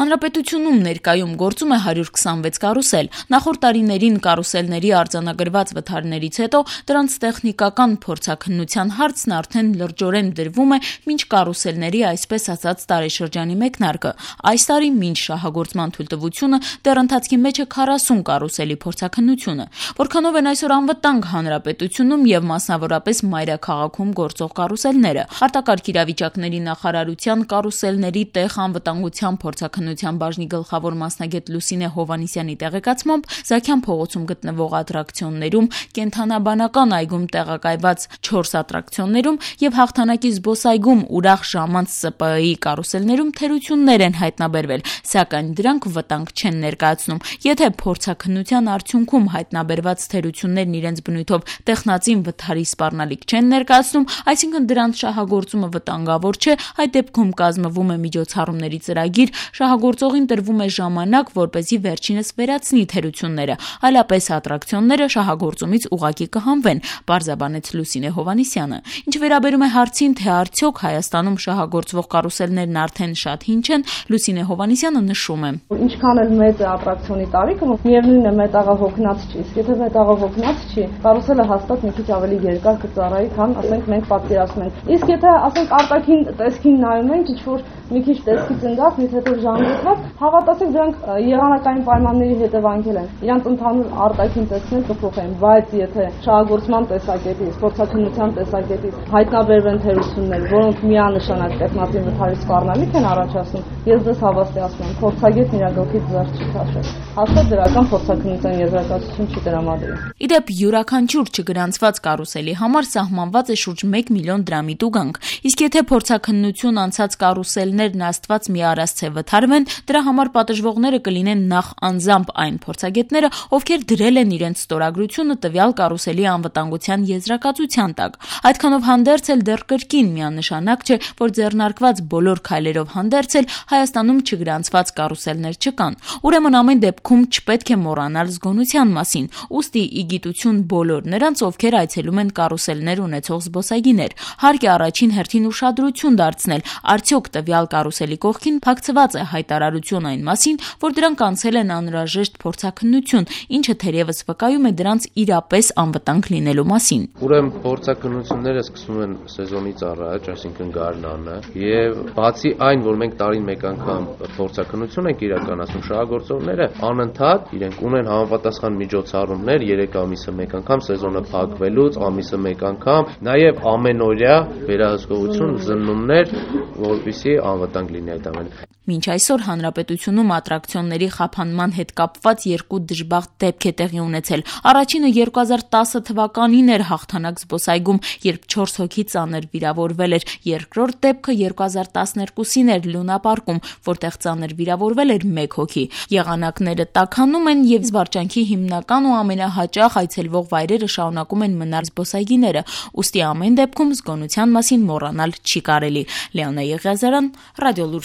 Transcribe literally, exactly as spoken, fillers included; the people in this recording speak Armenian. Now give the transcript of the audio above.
Հանրապետությունում ներկայում գործում է հարյուր քսանվեց կարուսել։ Նախորդ տարիներին կարուսելների արձանագրված վթարներից հետո դրանց տեխնիկական փորձաքննության հարցն արդեն լրջորեն դրվում է մինչ կարուսելների այսպես ասած տարեշրջանի մեկնարկը։ Այս տարի մինչ շահագործման թույլտվությունը դեռ ընթացքի մեջ է քառասուն կարուսելի փորձաքննությունը։ Որքանով են այսօր անվտանգ հանրապետությունում եւ մասնավորապես մայրաքաղաքում գործող կարուսելները։ Արտակարգ իրավիճակների նախարարության կարուսելների տեղ անվտանգության փորձաքննության բաժնի գլխավոր մասնագետ Լուսինե Հովհաննիսյանի տեղեկացմամբ Զաքյան փողոցում գտնվող ատրակցիոններում, կենդանաբանական այգում տեղակայված չորս ատրակցիոններում եւ Հաղթանակի զբոսայգում ուրախ ժամանց Ս Պ Ը-ի կարուսելներում թերություններ են հայտնաբերվել, սակայն դրանք վտանգ չեն ներկայացնում։ Եթե փորձաքննության արդյունքում հայտնաբերված թերություններն իրենց բնույթով տեխնածին վթարի սպառնալիք չեն ներկայացնում, այսինքն դրանց շահագործումը վտանգավոր չէ, այդ դեպքում կազմվում է միջոցառումների ծրագիր, շահագործողին տրվում է ժամանակ, որպեսզի վերջինս վերացնի թերությունները, այլապես ատրակցիոնները շահագործումից ուղղակի կհանվեն, պարզաբանեց Լուսինե Հովհաննիսյանը։ Ինչ վերաբերում է հարցին, թե արդյոք Հայաստանում շահագործվող կարուսելներն արդեն շատ հին չեն, Լուսինե Հովհաննիսյանը նշում է. Ինչքան էլ մեծ է ատրակցիոնի տարիքը, միևնույնն է մետաղը հոգնած չի, իսկ եթե մետաղը հոգնած չի, կարուսելը հաստատ մի քիչ ավելի երկար կծառայի, քան ասենք մենք պատկերացնում ենք։ Իսկ եթե ասենք արտաքին տեսքին նայում ենք, ինչ որ մի քիչ տեսքի ծնգած, մի հետո ժանգոտված, հավատացեք դրանք եղանակային պայմանների հետևանքել են։ Իրանց ընդհանուր արտաքին տեսքն էլ կփոխեն, բայց եթե շահագործման տեսակետից, փորձաքննության տեսակետից հայտնաբերվեն թերություններ, որոնք միանշանակ տեխնատին վթարի սպառնալիք են առաջացնում, ես դες հավաստիացնում եմ, փորձագետն իր գլխից ձեռք չի քաշել։ Հաստատ դրական փորձաքննության եզրակացություն չի տրամադրել։ Ի դեպ, յուրաքանչյուր չգրանցված կարուսելի համար սահմանված է շուրջ մեկ միլիոն դրամի տուգանք, իսկ եթե փորձաքննություն անցած կարուսելներն աստված մի առասցե վթարվեն, դրա համար պատժվողները կլինեն նախ անձամբ այն փորձագետները, ովքեր դրել են իրենց ստորագրությունը տվյալ կարուսելի անվտանգության եզրակացության տակ։ Այդքանով հանդերձ էլ դեռ կրկին միանշանակ չէ, որ ձեռնարկված բոլոր քայլերով հանդերձ էլ Հայաստանում չգրանցված կարուսելներ չկան։ Ուրեմն ամեն դեպքում չպետք է մոռանալ զգոնության մասին, ուստի ի գիտություն բոլոր նրանց, ովքեր այցելում են կարուսելներ ունեցող զբոսայգիներ։ Հարկ է առաջին հերթին ուշադրություն դարձնել, արդյոք տվյալ կարուսելի կողքին փակցված է հայտարարություն այն մասին, որ դրանք անցել են անհրաժեշտ փորձաքննություն, ինչը թերևս վկայում է դրանց իրապես անվտանգ լինելու մասին։ Ուրեմն փորձաքննությունները սկսվում են սեզոնից առաջ, այսինքն գարնանը, եւ բացի այն, որ մենք տարին մեկ անգամ փորձաքննություն ենք իրականացնում, շահագործողները անընդհատ իրենք ունեն համապատասխան միջոցառումներ երեք ամիսը մեկ անգամ սեզոնը փակվելուց, ամիսը մեկ անգամ, նաեւ ամենօրյա վերահսկողություն, զննումներ, որպեսզի անվտանգ լինի այդ ամենը։ Մինչ այսօր հանրապետությունում ատրակցիոնների խափանման հետ կապված երկու դժբախտ դեպք է տեղի ունեցել։ Առաջինը երկու հազար տասը թվականին էր Հաղթանակ զբոսայգում, երբ չորս հոգի ծանր վիրավորվել էր։ Երկրորդ դեպքը երկու հազար տասներկուսին էր Լունապարկում, որտեղ ծանր վիրավորվել էր մեկ հոգի։ Եղանակները տաքանում են եւ զվարճանքի հիմնական ու ամենահաճախ այցելվող վայրերը շարունակում են մնալ զբոսայգիները, ուստի ամեն դեպքում զգոնության մասին մոռանալ չի կարելի։ Լեոնա Եղիազարյան, Ռադիոլուր։